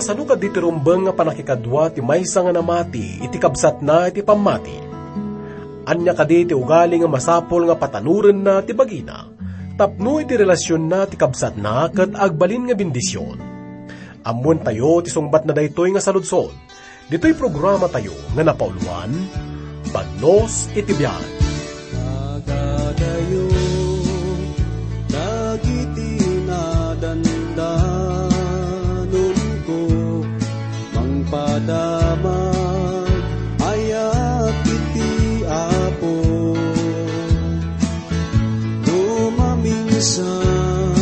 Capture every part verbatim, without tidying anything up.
Sano kadi ti rumbeng nga pannakikadua ti maysa nga namati iti kabsatna iti pammati? Ania kadi ti ugali nga masapul nga patanorenna ti bagina tapno iti relasionna ti kabsatna ket agbalin nga bendision? Ammoentayo ti sungbatna daytoy nga saludsod. Ditoy programatayo nga napauluan, Bagnos iti Biag. Agadayo dagiti nadandanonko, mangpadamag ayat iti Apo. No maminsan,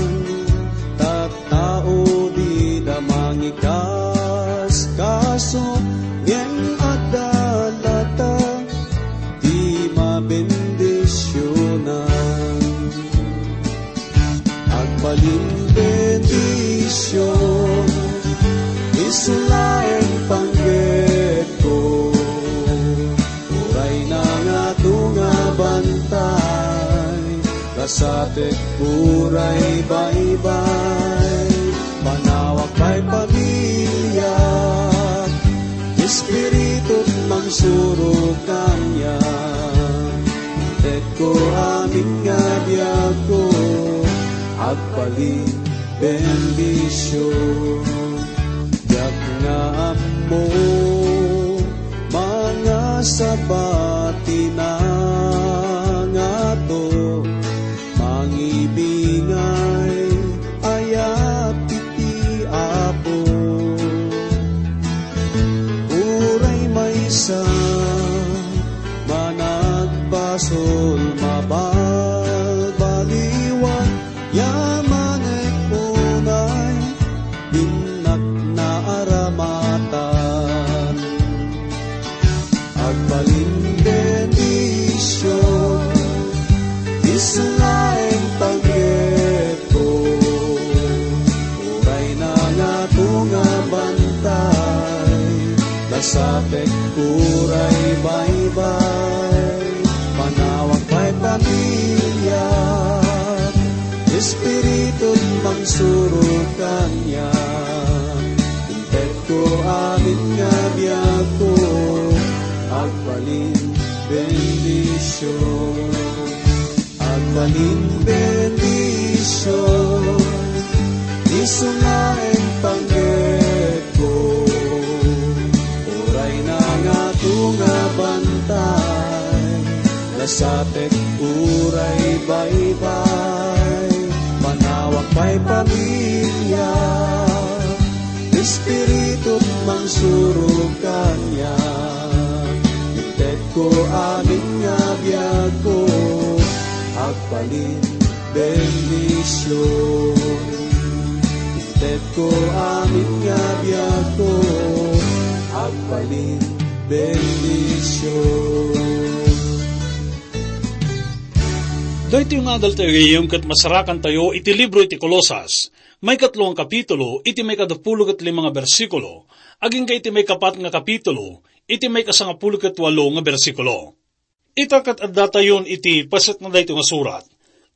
tao dida mangikaskaso, ngem adda latta ti mabendisionan. Agbalin bendision, isu laeng panggepko. Uray nangato nga bantay, kasatek uray baybay, panawak pay pamilya, Espiritu mangsurok kaniak. Intetko amin nga biagko, agbalin bendision. Diak nga ammo, mangasaba ti nangato, mangibingay ayat iti Apo. Uray maysa managbasol, mabalbaliwan, yaman unay, innak naaramatan. Agbalin bendision, isu laeng panggepko. Uray nangato nga bantay, kasatek uray baybay, panawak pay pamilya, Espiritu mangsurok kaniak. Intetko amin nga biagko, agbalin bendision. Agbalin bendision, isu laeng panggepko. Uray nangato nga bantay, kasatek uray baybay, panawak pay pamilya, Espiritu mangsurok kaniak. Intetko amin nga biagko, agbalin bendision. Intetko amin nga biagko, agbalin bendision. Daytoy nga adal tayo gayam ket masarakantayo iti libro iti Colosas, maikatlo nga kapitulo, iti maikadapulo ket lima nga bersikulo, agingga iti maikapat nga kapitulo, iti maikasangapulo ket walo nga bersikulo. Ita ket addatayon iti paset na daytoy nga surat,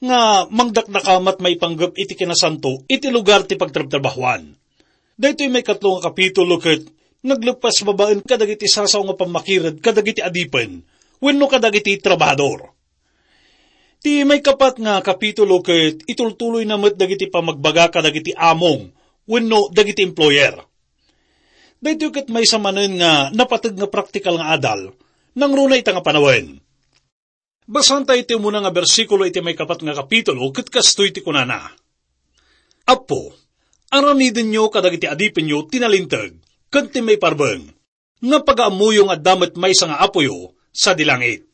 nga mangdakdakamat maipanggep iti kinasanto iti lugar ti pagtrabtrabahuan. Daytoy maikatlo nga kapitulo ket nagleppas babaen kadagiti sasao nga pammakired kadagiti adipen wenno kadagiti trabahador. Ti maikapat nga kapitulo ket itultuloyna met dagiti pammagbaga kadagiti among wenno dagiti employer. Daytoy ket maysa manen nga napateg nga praktikal nga adal, nangruna ita nga panawen. Basaanta iti umuna nga bersikulo iti maikapat nga kapitulo ket kastoy ti kunana, "Apo, aramidenyo kadagiti adipenyo ti nalinteg ken ti maiparbeng, nga pagaammoyo nga adda met maysa nga Apoyo sadi langit."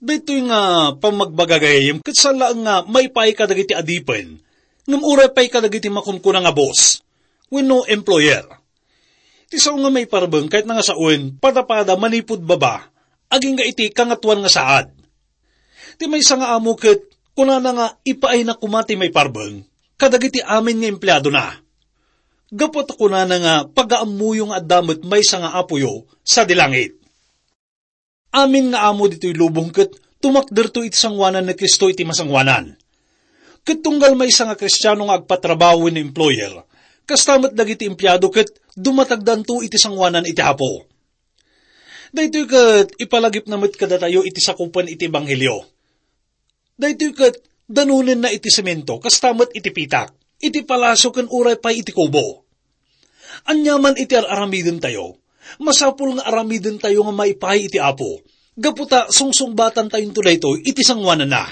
Daytoy nga pammagbaga gayam ket saan laeng nga maipaay kadagiti adipen, ngem uray pay kadagiti makunkuna nga boss wenno employer. Ti sao nga maiparbeng ket nga sawen padapada manipud baba agingga iti Kangatoan nga saad. Ti maysa nga amo ket kunana nga ipaayna koma ti maiparbeng kadagiti amin nga empleadona. Gapu ta kunana nga pagaammoyo nga adda met maysa nga Apoyo sadi langit. Amin nga amo ditoy lubong ket tumakderto iti sangoanan ni Cristo iti masangoanan. Ket tunggal maysa nga Kristiano nga agpatrabaho wenno employer, kasta met dagiti empleado ket dumatagdanto iti sangoanan iti Apo. Daytoy ket ipalagipna met kadatayo iti sakupen iti ebanghelio. Daytoy ket danonenna iti semento, kasta met iti pitak, iti palasio ken uray pay iti kubo. Aniaman iti ar-aramidentayo, masapul nga aramidentayo nga maipaay iti Apo, gapu ta sungsungbatantayonto daytoy iti sangoananna.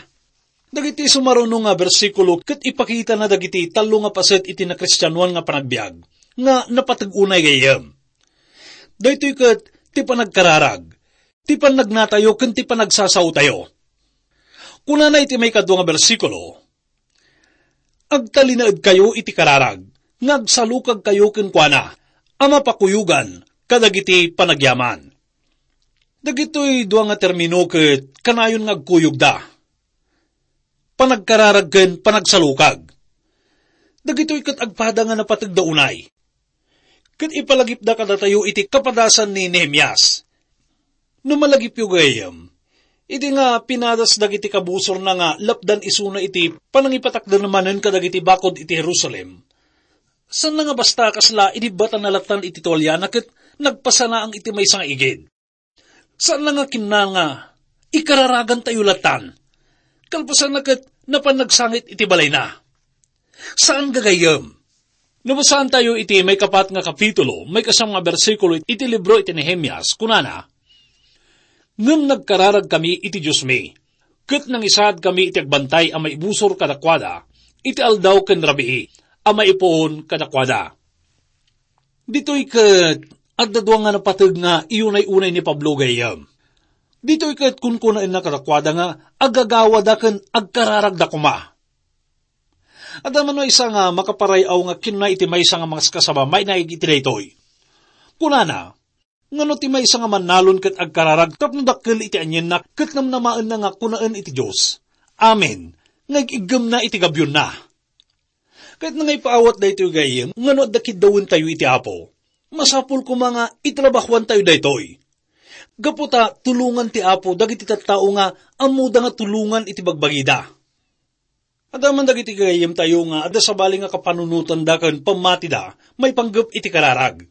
Dagiti sumaruno nga bersikulo ket ipakitana dagiti tallo nga paset iti nakristianoan nga panagbiag nga napateg unay gayyem. Daytoy ket ti panagkararag, ti pannagnatayo ken ti panagsasaotayo. Kunana iti maikadua nga bersikulo, "Agtalinaedkayo iti kararag, nga agsalukagkayo kenkuana a mapakuyogan kadagiti panagyaman." Dagitoy dua nga termino ket kanayon nga agkuyogda: panagkararag ken panagsalukag. Dagitoy ket agpada nga napategda unay. Ket ipalagipda kadatayo iti kapadasan ni Nehemias. No malagipyo gayam, idi nga pinadas dagiti kabusorna nga lapdan isuna iti panangipatakder manen kadagiti bakod iti Jerusalem, saan nga basta kasla inibbatan na lattan iti tualiana ket nagpasanaang iti maysa nga igid. Saan nga kinna nga ikararagantayo lattan. Kalpasanna ket napan nagsangit iti balayna. Saan gagayyem. Nabasaan tayo iti maikapat nga kapitulo, maikasam nga bersikulo iti libro iti Nehemias, kunana, "Ngem nagkararag kami iti Diosmi, ket nangisaad kami iti agbantay a maibusor kadakuada iti aldaw ken rabii a maipuon kadakuada." Ditoy ket adda dua nga napateg nga iyunay-unay ni Pablo gayyem. Ditoy ket kunkunaenna kadakuada nga agagawada ken agkararagda koma. Adda man maysa nga makaparay-aw nga kinuna iti maysa nga mangskasaba mainaig iti daytoy. Kunana, "Ngano ti maysa nga mannalon ket agkararag tapno dakkel iti anienna ket namnamaenna nga kunaen iti Dios, 'Amen,' nga ig-iggemna iti gabyonna?" Ket nangaipaawat daytoy gayyem, ngano adda kiddawentayo iti Apo? Masapul koma nga itrabahoantayo daytoy. Gapu ta tulongan ti Apo dagiti tattao nga ammoda nga tulongan iti bagbagida. Adda man dagiti gayyemtayo nga adda sabali nga kapanunotanda ken pammatida maipanggep iti kararag.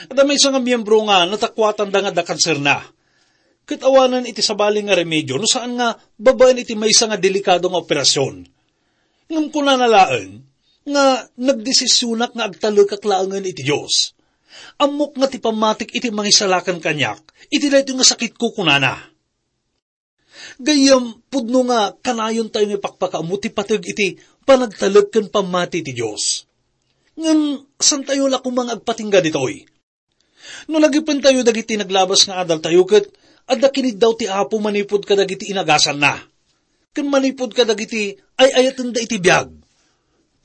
Adda maysa nga miembro nga natakuatanda nga adda kanserna. Ket awanen iti sabali nga remedio no saan nga babaen iti maysa nga delikado nga operasion. Ngem kunana laeng nga nagdesisionak nga agtalekak laengen iti Dios. Ammok nga ti pammatik iti mangisalakan kaniak iti daytoy nga sakitko, kunana. Gayyem, pudno nga kanayontayo nga ipakpakaammo ti pateg iti panagtalek ken pammati ti Dios. Ngem, santayo la koma nga agpatingga ditoy. No lagipentayo dagiti naglabas nga adaltayo ket adda kiniddaw ti Apo manipud kadagiti inagasanna, ken manipud kadagiti ay-ayatenda iti biag.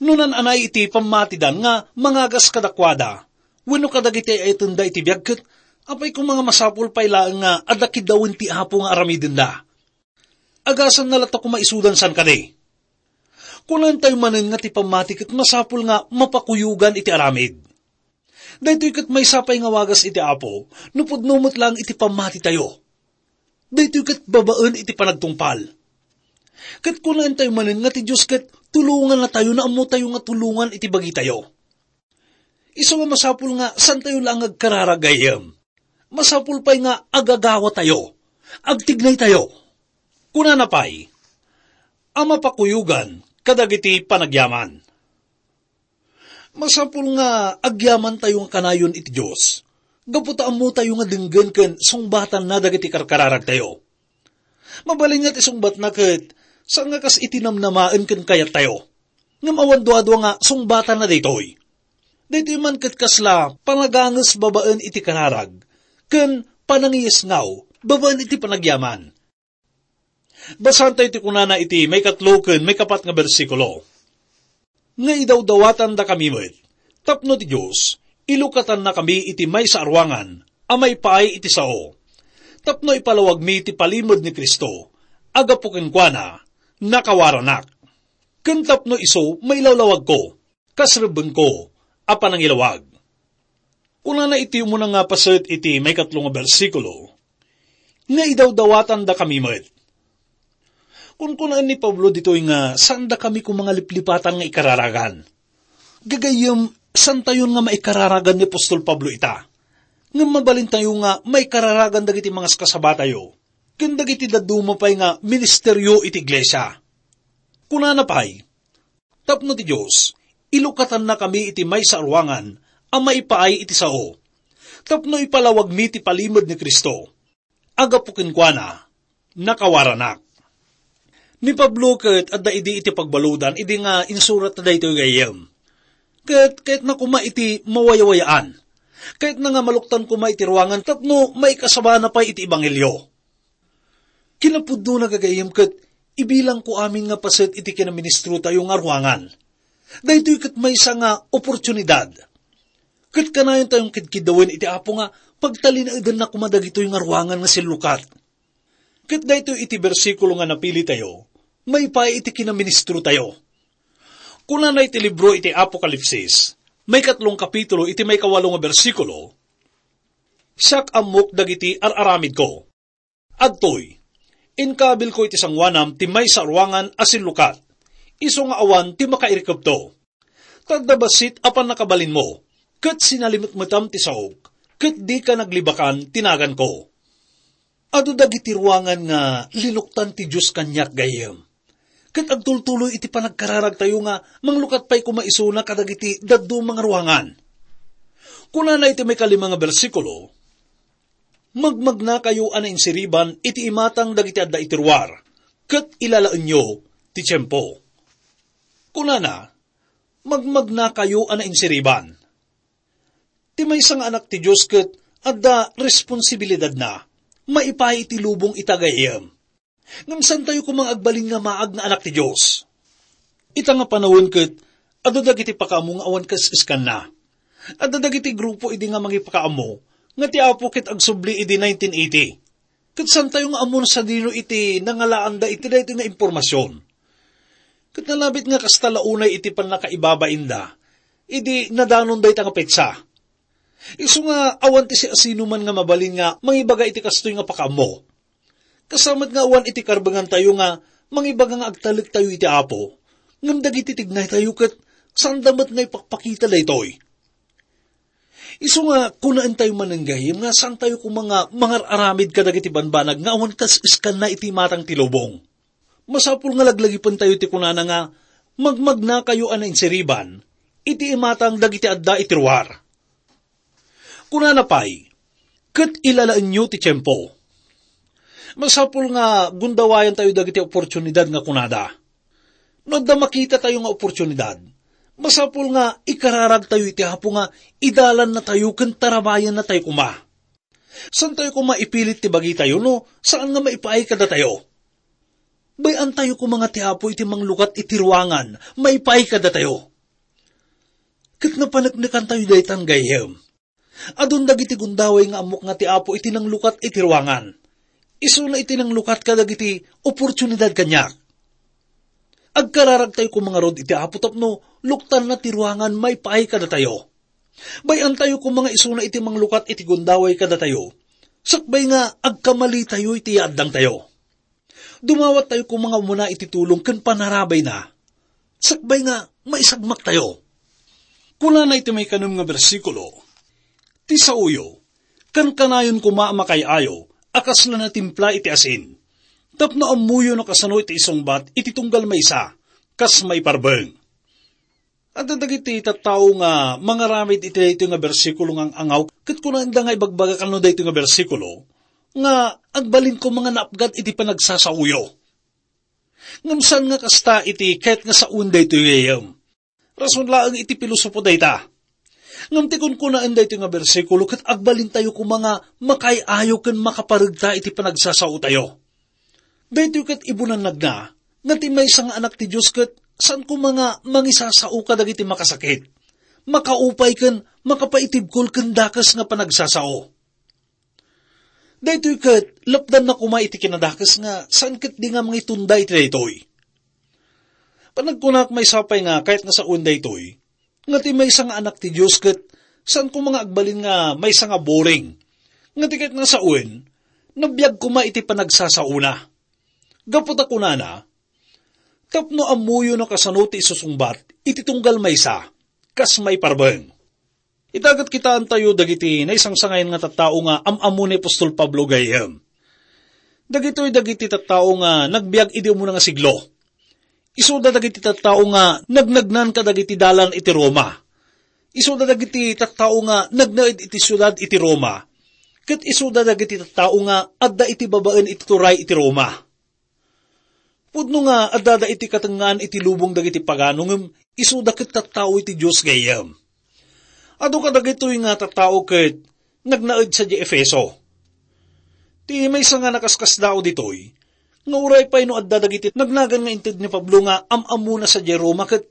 No naan-anay iti pammatidan nga mangagas kadakuada wenno kadagiti ay-ayatenda iti biag, ket apay koma nga masapul pay laeng nga adda kiddawen ti Apo nga aramidenda? Agasanna latta koma isudan saan kadi? Kunantayo manen nga ti pammati ket masapul nga mapakuyogan iti aramid. Daytoy ket maysa pay nga wagas iti Apo no pudno met laeng iti pammatitayo. Daytoy ket babaen iti panagtungpal. Ket kunantayo manen nga ti Dios ket tulongannatayo no ammotayo nga tulongan iti bagitayo. Isu nga masapul nga santayo laeng nga agkararag gayyem. Masapul pay nga agagawatayo, agtignaytayo. Kunana pay, a mapakuyogan kadagiti panagyaman. Masapul nga agyamantayo nga kanayon iti Dios, gapu ta ammotayo nga denggen ken sungbatanna dagiti karkararagtayo. Mabalin nga ti sungbatna ket saan nga kas iti namnamaen ken kayattayo. Ngem awan duadua nga sungbatanna daytoy. Daytoy man ket kasla panaganges babaen iti kararag, ken panangiyesngaw babaen iti panagyaman. Basaantayo ti kunana iti maikatlo ken maikapat nga bersikulo. Nga idawdawatandakami met, tapno ti Dios, ilukatannakami iti maysa a ruangan a maipaay iti sao, tapno ipalawagmi ti palimed ni Cristo, a gapu kenkuana, nakawaranak. Ken tapno isu mailawlawagko, kas rebbengko a panangilawag. Kunana iti umuna nga paset iti maikatlo nga bersikulo, nga idawdawatandakami met. Kunkunaen ni Pablo ditoy nga saandakami koma nga liplipatan nga ikararagan. Gagayyem, Santayon nga maikararagan ni apostol Pablo ita. Ngem mabalintayo nga maikararagan dagiti mangaskasabatayo ken dagiti dadduma pay nga ministerio iti iglesia. Kunana pay, "Tapno ti Dios, ilukatannakami iti maysa a ruangan a maipaay iti sao, tapno ipalawagmi ti palimed ni Cristo. Agapu kenkuana, nakawaranak." Ni Pablo ket adda idi iti pagbaludan idi nga insuratna daytoy gayyem. Ket kayatna koma iti mawayawayaan. Kayatna nga maluktan koma iti ruangan tapno maikasabana pay iti ebanghelio. Kinapudnona, gagayyem, ket ibilangko amin nga paset iti kinaministrotayo nga ruangan. Daytoy ket maysa nga oportunidad. Ket kanayontayon kidkiddawen iti Apo nga pagtalinaedanna koma dagitoy nga ruangan nga sillukat. Ket daytoy iti bersikulo nga napilitayo, maipaay iti kinaministrotayo. Kunana iti libro iti Apokalipsis, maikatlong kapitulo iti maikawalo nga bersikulo, "Siak ammok dagiti ar-aramidko. Adtoy, inkaabilko iti sangoanam ti maysa a ruangan a sillukat, isu nga awan ti makairikepto. Ta adda bassit a pannakabalinmo, ket sinalimetmetam ti saok, ket dika naglibakan ti naganko." Adu dagiti ruangan nga linuktan ti Dios kaniak, gayyem. Ket agtultuloy iti panagkararagtayo nga manglukat pay koma isuna kadagiti dadduma nga ruangan. Kunana iti maikalima nga bersikulo, "Magmagnakayo a nainsiriban iti imatang dagiti adda iti ruar, ket ilalaenyo ti tiempo." Kunana, "Magmagnakayo a nainsiriban." Ti maysa nga anak ti Dios ket adda responsibilidadna. Maipaay iti lubong ita, gayyem. Ngem saantayo koma nga agbalin nga maag nga anak ti Dios. Ita nga panawen ket adu dagiti pakaammo nga awan kas-iskanna. Adda dagiti grupo idi nga mangipakaammo nga ti Apo ket agsubli idi nineteen eighty. Ket saantayo nga ammon sadino iti nangalaanda iti daytoy nga impormasion. Ket nalabit nga kasta la unay iti pannakaibabainda idi nadanon dayta nga petsa. Isu nga awan ti siasinoman nga mabalin nga mangibaga iti kastoy nga pakaammo. Kasta met nga awan iti karbengantayo nga mangibaga nga agtalektayo iti Apo, ngem dagiti tignaytayo ket saanda met nga ipakpakita daytoy. Isu nga kunaentayo manen, gayyem, nga saantayo koma nga mangar-aramid kadagiti banbanag nga awan kas-iskanna iti imatang ti lubong. Masapul nga laglagipentayo ti kunana nga, "Magmagnakayo a nainsiriban iti imatang dagiti adda iti ruar." Kunana pay, "Ket ilalaenyo ti tiempo." Masapul nga gundawayantayo dagiti oportunidad nga kunada. No adda makitatayo nga oportunidad, masapul nga ikararagtayo iti Apo nga idalannatayo ken tarabayannatayo koma. Saantayo koma ipilit ti bagitayo no saan nga maipaay kadatayo. Bay-antayo koma nga ti Apo iti manglukat iti ruangan maipaay kadatayo. Ket napaneknekantayo daytan, gayyem. Adun dagiti gundaway nga ammok nga ti Apo iti nanglukat iti ruangan. Isuna iti nanglukat kadagiti oportunidad kaniak. Agkararagtayo koma ngarud iti Apo tapno luktanna ti ruangan maipaay kadatayo. Bay-antayo koma nga isuna iti manglukat iti gundaway kadatayo, sakbay nga agkamalitayo iti yaaddangtayo. Dumawattayo koma nga umuna iti tulong ken panarabayna, sakbay nga maisagmaktayo. Kunana iti maikanem nga bersikulo, "Ti saoyo, kankanayon koma a makaay-ayo a kasla natimpla iti asin, tapno ammoyo no kasano iti isungbat iti tunggal maysa, kas maiparbeng." Adda dagiti tattao nga mangaramid iti daytoy nga bersikulo nga ang-angaw, ket kunaenda nga ibagbaga kano daytoy nga bersikulo nga agbalin koma nga naapgat iti panagsasaoyo. Ngem saan nga kasta iti ket nga sawen daytoy, gayyem. Rason laeng iti pilosopo dayta. Ngem ti kunkunaen daytoy nga bersikulo ket agbalintayo koma nga makaay-ayo ken makaparegta iti panagsasaotayo. Daytoy ket ibunannagna nga ti maysa nga anak ti Dios ket saan koma nga mangisasao kadagiti makasakit. Makaupay ken makapaitibkol ken dakes nga panagsasao. Daytoy ket lapdanna koma iti kinadakes nga saan ketdi nga mangitunda iti daytoy. Panagkunak maysa pay nga kayat nga sawen daytoy, nga ti maysa nga anak ti Dios ket saan koma nga agbalin nga maysa nga boring, nga ti kayat nga sawen, nabiag koma iti panagsasaona. Gapu ta kunana, "Tapno ammoyo no kasano ti isusungbat iti tunggal maysa, kas maiparbeng. Ita ket kitaentayo dagiti naisangsangayan nga tattao nga am-ammo ni apostol Pablo gayyem. Dagitoy dagiti tattao nga nagbiag idi umuna nga siglo. Isuda dagiti tattao nga nagnagnan kadagiti dalan iti Roma. Isuda dagiti tattao nga nagnaed iti siudad iti Roma. Ket isuda dagiti tattao nga adda iti babaen iti turay iti Roma. Pudno nga addada iti katengngaan iti lubong dagiti pagano ngem isuda ket tattao iti Dios gayyem. Adu kadagitoy nga tattao ket nagnaed sadiay Efeso. Ti maysa nga nakaskasdaaw ditoy, nga uray pay no adda dagiti nagnagan nga inted ni Pablo nga am-ammona sadiay Roma ket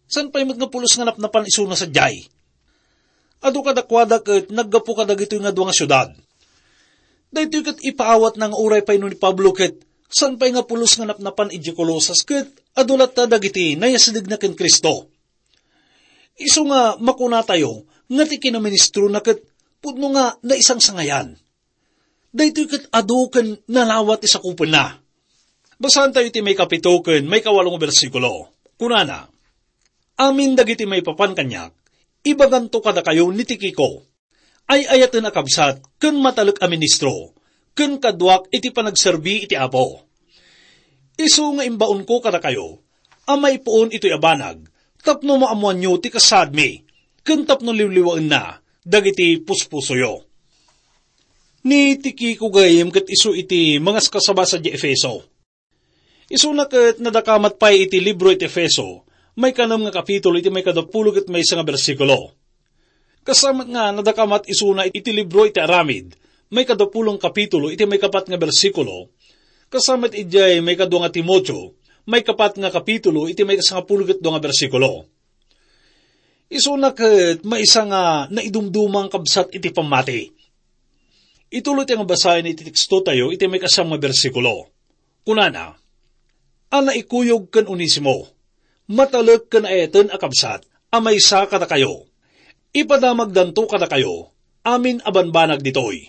saan pay met nga pulos nga napnapan isuna sadiay. Adu kadakuada ket naggapu kadagitoy nga dua nga siudad. Daytoy ket ipaawatna nga uray pay no ni Pablo ket saan pay nga pulos nga napnapan idiay Colosas ket adu latta dagiti nayasdegna ken Cristo. Isu nga makunatayo nga ti kinaministrona ket pudno nga naisangsangayan. Daytoy ket adu ken nalawa ti sakupenna. Basaantayo ti maikapito ken maikawalo nga bersikulo. Kunana, "Amin dagiti maipapan kaniak, ibaganto kadakayo ni Tikico, ay-ayaten a kabsat ken matalek a ministro, ken kaduak iti panagserbi iti Apo. Isu nga imbaonko kadakayo a maipuon itoy a banag tapno maammoanyo ti kasaadmi ken tapno liwliwaenna dagiti puspusoyo." Ni Tikico gayyem ket isu iti mangaskasaba sadiay Efeso. Isuna ket nadakamat pay iti libro iti Efeso, maikanem nga kapitulo iti maikadapulo ket maysa nga bersikulo. Kasamet nga nadakamat isuna iti libro iti Aramid, maikadapulo nga kapitulo iti maikapat nga bersikulo. Kasamet idiay maikadua nga Timoteo, maikapat nga kapitulo iti maikasangapulo ket dua nga bersikulo. Isuna ket maysa nga naidumduma nga kabsat iti pammati. Ituloy ti nga basaen iti tekstotayo iti maikasam nga bersikulo. Kunana, "A naikuyog ken Onesimo, matalek ken ayaten a kabsat a maysa kadakayo. Ipadamagdanto kadakayo amin a banbanag ditoy."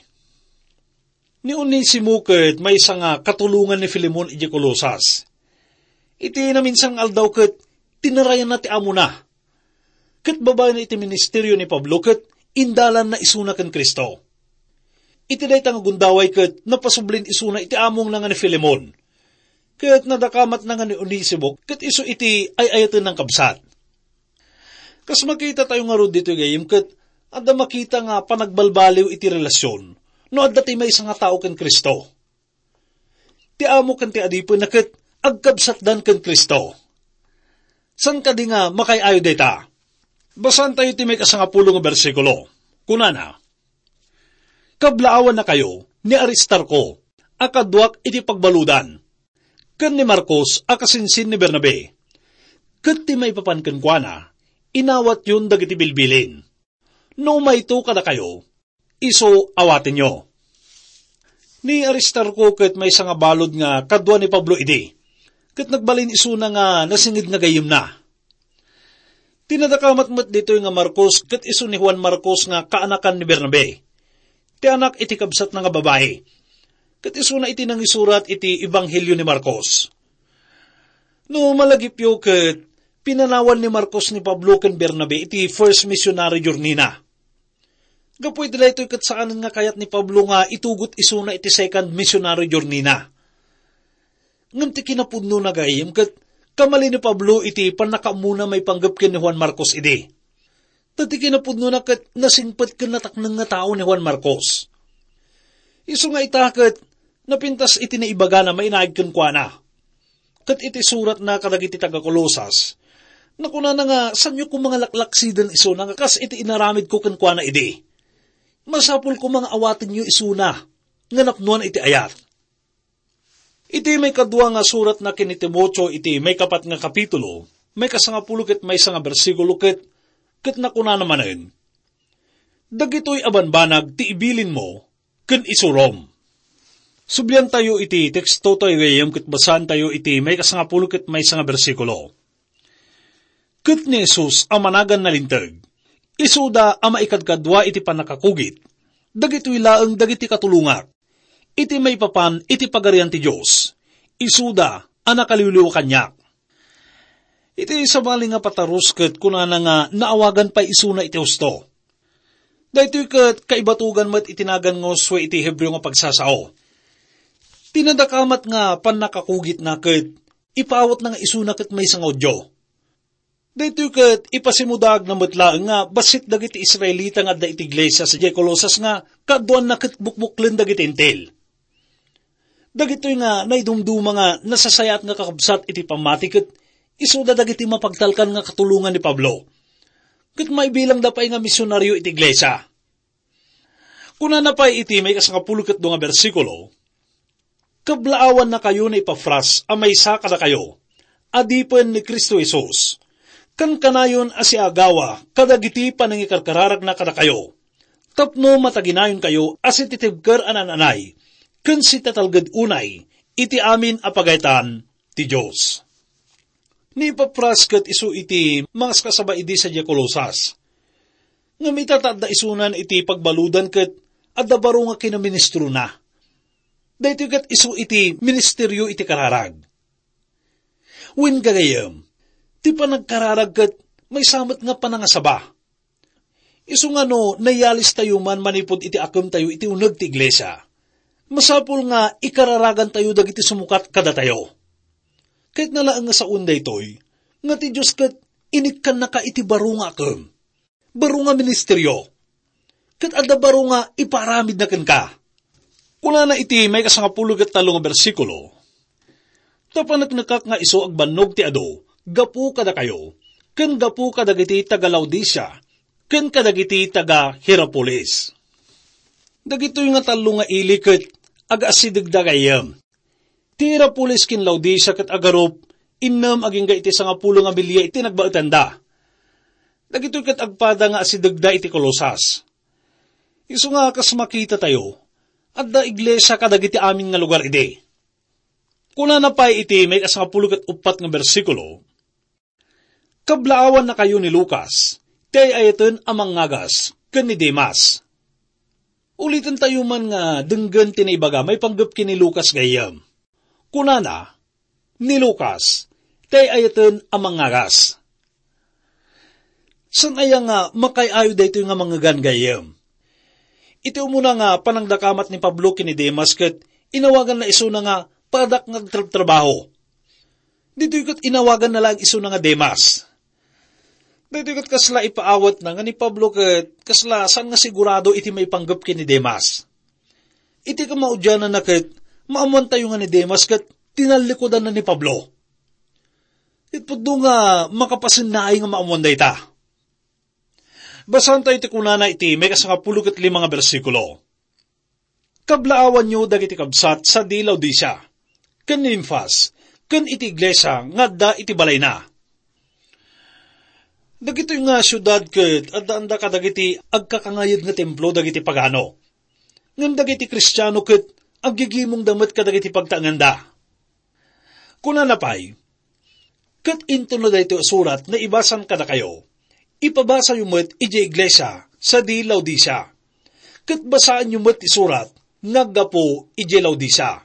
Ni Onesimo ket maysa nga katulongan ni Filemon idiay Colosas. Iti naminsan nga aldaw ket tinarayanna ti amona. Ket babaen iti ministerio ni Pablo ket indalanna isuna ken Cristo. Iti dayta nga gundaway ket napasublin isuna iti amongna nga ni Filemon. Ket nadakamatna nga ni Onesimo ket isu iti ay-ayatenna nga kabsat. Kas makitatayo ngarud ditoy gayyem ket adda makita nga panagbalbaliw iti relasyon no adda ti maysa nga tao ken Cristo. Ti amo ken ti adipenna ket agkabsatdan ken Cristo. Saan kadi nga makaay-ayo dayta? Basaantayo ti maikasangapulo nga bersikulo. Kunana, "Kablaawannakayo ni Aristarco a kaduak iti pagbaludan, ken ni Marcos a kasinsin ni Bernabe, ket ti maipapan kenkuana, inawatyon dagiti bilbilin. No umayto kadakayo, isu awatenyo." Ni Aristarco ket maysa nga balud nga kadua ni Pablo idi, ket nagbalin isuna nga nasinged nga gayyemna. Ti nadakamat met ditoy nga Marcos ket isu ni Juan Marcos nga kaanakan ni Bernabe, ti anak iti kabsatna nga babai, ket isuna iti nangisurat iti Ebanghelio ni Marcos. No malagipyo ket pinanawan ni Marcos ni Pablo ken Bernabe iti first missionary journey-na. Gapu iti daytoy ket saanen nga kayat ni Pablo nga itugot isuna iti second missionary journey-na. Ngem ti kinapudnona gayyem ket kamali ni Pablo iti pannakaammona maipanggep ken ni Juan Marcos idi. Ta ti kinapudnona ket nasingpet ken natakneng nga tao ni Juan Marcos. Isu nga ita ket napintas iti naibagana mainaig kenkuana. Ket iti suratna kadagiti taga-Colosas, nakunana nga saanyo koma nga laklaksiden isuna nga kas iti inaramidko kenkuana idi. Masapul koma nga awatenyo isuna nga napnoan iti ayat. Iti maikadua nga suratna ken ni Timoteo iti maikapat nga kapitulo, maikasangapulo ket maysa nga bersikulo ket, ket nakunana manen, "Dagitoy a banbanag ti ibilinmo ken isurom." Subliantayo iti tekstotayo gayyem ket basaantayo iti maikasangapulo ket maysa nga bersikulo. Ket ni Jesus a managan nalinteg, isuda a maikadkadua iti pannakakugit, dagitoy laeng dagiti katulongak, iti maipapan iti Pagarian ti Dios, isuda a nakaliwliwa kaniak. Iti sabali nga patarus ket kunana nga naawagan pay isuna iti husto. Daytoy ket kaibatugan met iti nagan nga Josue iti Hebreo nga pagsasao. Ti nadakamat nga pannakakugitna ket ipaawatna nga isuna ket maysa nga Judio. Daytoy ket ipasimudaagna met laeng nga bassit dagiti Israelita nga adda iti iglesia sadiay Colosas nga kaaduanna ket bukbuklen dagiti Hentil. Dagitoy nga naidumduma nga nasasayaat nga kakabsat iti pammati ket isuda dagiti mapagtalkan nga katulongan ni Pablo. Ket maibilangda pay nga misionario iti iglesia. Kunana pay iti maikasangapulo ket dua nga bersikulo, "Kablaawannakayo ni Epafras a maysa kadakayo, adipen ni Cristo Jesus. Kankanayon a siagawa kadagiti panangikarkararagna kadakayo, tapno mataginayonkayo a sititibker a naan-anay ken sitatalged unay iti amin a pagayatan ti Dios." Ni Epafras ket isu iti mangaskasaba idi sadiay Colosas. Ngem ita ta adda isunan iti pagbaludan ket adda baro nga kinaministrona. Daytoy ket isu iti ministerio iti kararag. Wen, gagayyem, ti panagkararag ket maysa met nga panangasaba. Isu nga no nayalistayo man manipud iti akemtayo iti uneg ti iglesia, masapul nga ikararagantayo dagiti sumukat kadatayo. Kayatna laeng nga sawen daytoy, nga ti Dios ket inikkannaka iti baro nga akem, baro nga ministerio, ket adda baro nga ipaaramidna kenka. Kunana iti maikasangapulo ket tallo nga bersikulo, "Ta paneknekak nga isu agbannog ti adu gapu kadakayo, ken gapu kadagiti taga-Laodicea, ken kadagiti taga-Hierapolis." Dagitoy nga tallo nga ili ket agaasidegda gayyem. Ti Hierapolis ken Laodicea ket agarup innem agingga iti sangapulo nga bilia iti nagbaetanda. Dagitoy ket agpada nga asidegda iti Colosas. Isu nga kas makitatayo, adda iglesia kadagiti amin nga lugar idi. Kunana pay iti maikasangapulo ket uppat nga bersikulo, "Kablaawannakayo ni Lucas, ti ay-ayaten a mangngagas, ken ni Demas." Ulitentayo man nga denggen ti naibaga maipanggep ken ni Lucas gayyem. Kunana, "Ni Lucas, ti ay-ayaten a mangngagas." Saan aya nga makaay-ayo daytoy nga mangngegan gayyem? Iti umuna nga panangdakamat ni Pablo ken ni Demas ket inawaganna isuna nga padak nga agtrabtrabaho. Ditoy ket inawaganna laeng isuna nga Demas. Daytoy ket kasla ipaawatna nga ni Pablo ket kasla saan nga sigurado iti maipanggep ken ni Demas. Iti kamaudiananna ket maammoantayo nga ni Demas ket tinallikudanna ni Pablo. Ket pudno nga makapasennaay nga maammoan dayta. Basaentayo ti kunana iti maikasangapulo ket lima nga bersikulo. "Kablaawanyo dagiti kabsat sadi Laodicea, ken Nimfas, ken iti iglesia nga adda iti balayna." Dagitoy nga siudad ket addaanda kadagiti agkakangayed nga templo dagiti pagano. Ngem dagiti Kristiano ket aggigimongda met kadagiti pagtaenganda. Kunana pay, "Ket intono daytoy a surat nga ibasan kadakayo, ipabasayo met idiay iglesia sadi Laodicea. Ket basaenyo met ti surat nga aggapu idiay Laodicea."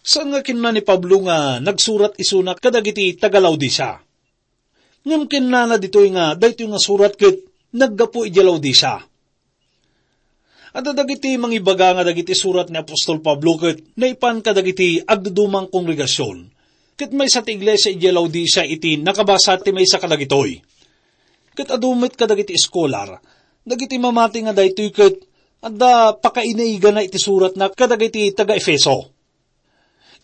Saan nga kinuna ni Pablo nga nagsurat isuna kadagiti taga-Laodicea. Ngem kinnana ditoy nga daytoy nga surat ket naggapu idiay Laodicea. Adda dagiti mangibaga nga dagiti surat ni apostol Pablo ket naipan kadagiti agdudumang kongregasion. Ket maysa ti iglesia idiay Laodicea iti nakabasa ti maysa kadagitoy. Ket adu met kadagiti eskolar, dagiti mamati nga daytoy ket adda pakainaigana iti suratna kadagiti taga-Efeso.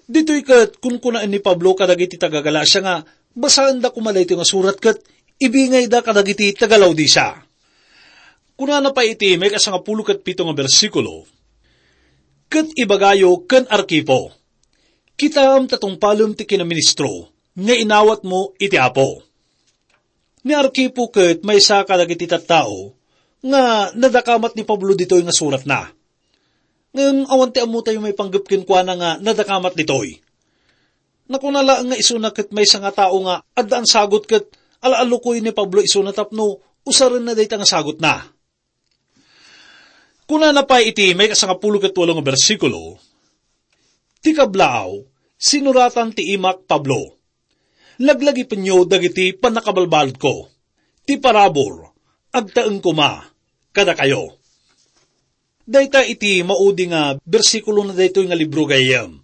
Ditoy ket kunkunaen ni Pablo kadagiti taga-Galacia nga basaenda koma daytoy nga surat ket ibingayda kadagiti taga-Laodicea. Kunana pay iti maikasangapulo ket pito nga bersikulo, "Ket ibagayo ken Arquipo, kitaem ta tungpalem ti kinaministro nga inawatmo iti Apo." Ni Arquipo ket maysa kadagiti tattao nga nadakamat ni Pablo ditoy nga suratna. Ngem awan ti ammotayo maipanggep kenkuana nga nadakamat ditoy. Nakuna laeng nga isuna ket maysa nga tao nga addaan sagut ket alaallukoy ni Pablo isuna tapno usarenna dayta nga sagutna. Kunana pay iti maikasangapulo ket walo nga bersikulo, "Ti kablaaw, sinuratan ti imak Pablo. Laglagipenyo dagiti pannakabalbaludko. Ti parabur, agtaeng koma kadakayo. Dayta iti maudi nga bersikulo na daytoy nga libro, gayyem.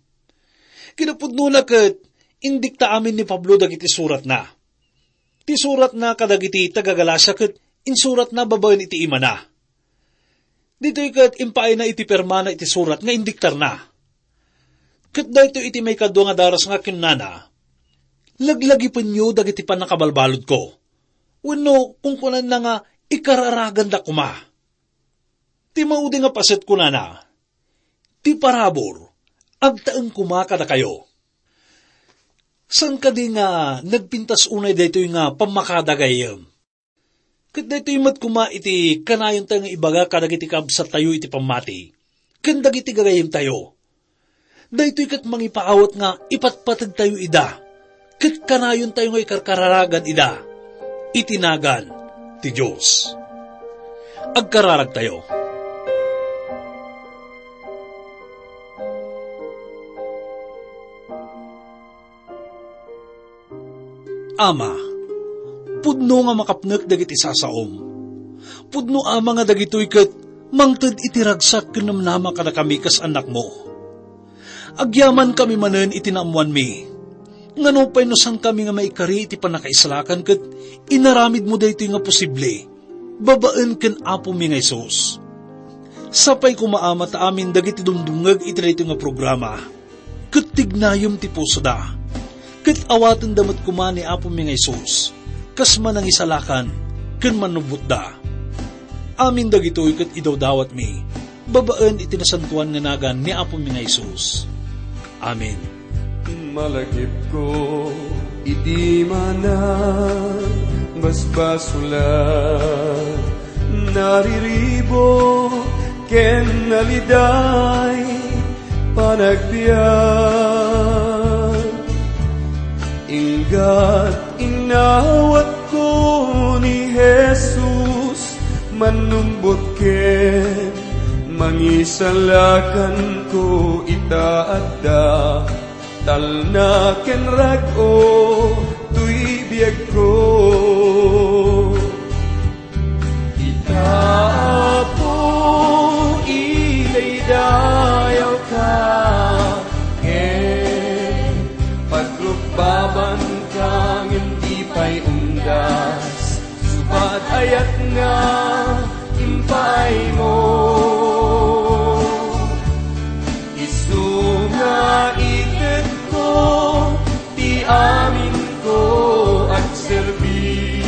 Kinapudnona ket indikta amin ni Pablo dagiti suratna. Ti suratna kadagiti taga-Galacia ket insuratna babaen iti imana. Ditoy ket impaayna iti pirmana iti surat nga indiktarna. Ket daytoy iti maikadua nga daras nga kinunana, "Laglagipenyo dagiti pannakabalbaludko." Wenno kunkunanna nga, "Ikararaganda koma." Ti maudi nga paset kunana, "Ti parabur, agtaeng koma kadakayo." Saan kadi nga nagpintas unay daytoy nga pammakada, gayyem? Ket daytoy met koma iti kanayontayo nga ibaga kadagiti kabsattayo iti pammati, ken dagiti gagayyemtayo. Daytoy ket mangipaawat nga ipatpategtayo ida, ket kanayontayo nga ikarkararagan ida iti nagan ti Dios. Agkararagtayo. Ama, pudno nga makapnek dagiti sasaom. Pudno, Ama, nga dagitoy ket mangted iti ragsak ken namnama kadakami kas annakmo. Agyamankami manen iti naammoanmi nga nupay no saankami nga maikari iti pannakaisalakan ket inaramidmo daytoy nga posible, babaen ken Apomi nga Jesus. Sapay koma, Ama, ta amin dagiti dumdumngeg iti daytoy nga programa, ket tignayem ti pusoda, ket awatenda met koma ni Apomi nga Jesus kas manangisalakan ken mannubbotda. Amin dagitoy ket idawdawatmi babaen iti nasantoan nga nagan ni Apomi nga Jesus. Amen. Malagipko iti mana basbasolan, nariribo ken naliday panagbiag. Inggat inawatko ni Jesus, mannumbot ken mangisalakanko ita adda talna ken rag-o toy biagko. Ita, Apo, idaydayawka, ken pagrukbabanka ngem di pay undas. Subat ayat nga impaaymo, isu nga itedko ti aminko agserbi.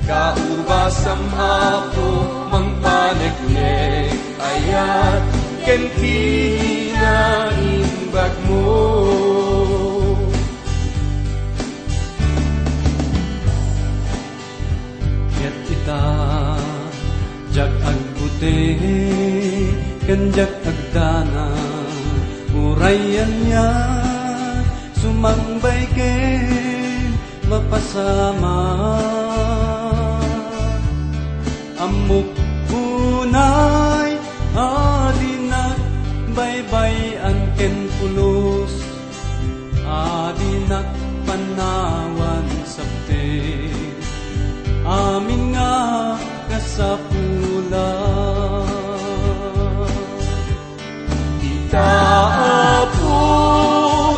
Kaubasam, Apo, mangpaneknek, ayat ken kinaimbagmo. Ket ita, diak agbuteng ken diak agdanag, uray ania sumangbay ken mapasamak. Ammok unay a dinak baybay-an ken pulos, a dinak pannawan sabte amin nga kasapulan. Ita, Apo,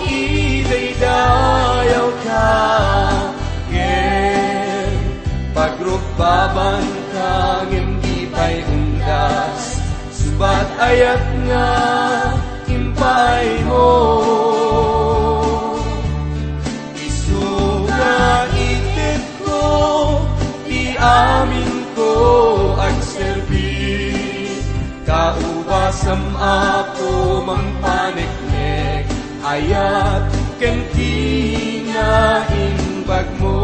idaydayawka, ken pagrukbabanka ngem di pay undas. Subat ayat nga impaaymo, isu nga itedko ti aminko agserbi. Kaubasam, Apo, mangpaneknek, ayat ken kinaimbagmo.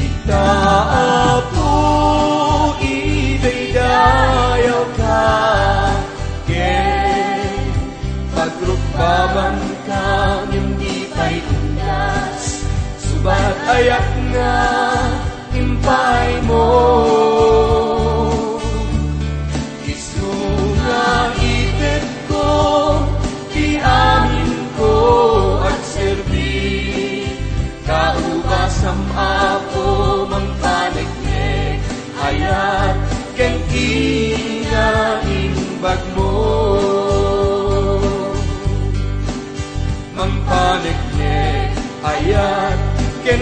Ita, Apo, idaydayawka, ken pagrukbabanka ngem di pay undas. Subat ayat nga impaaymo, isu nga itedko ti aminko, Ina imbagmo, mangpaneknek, ayat, ken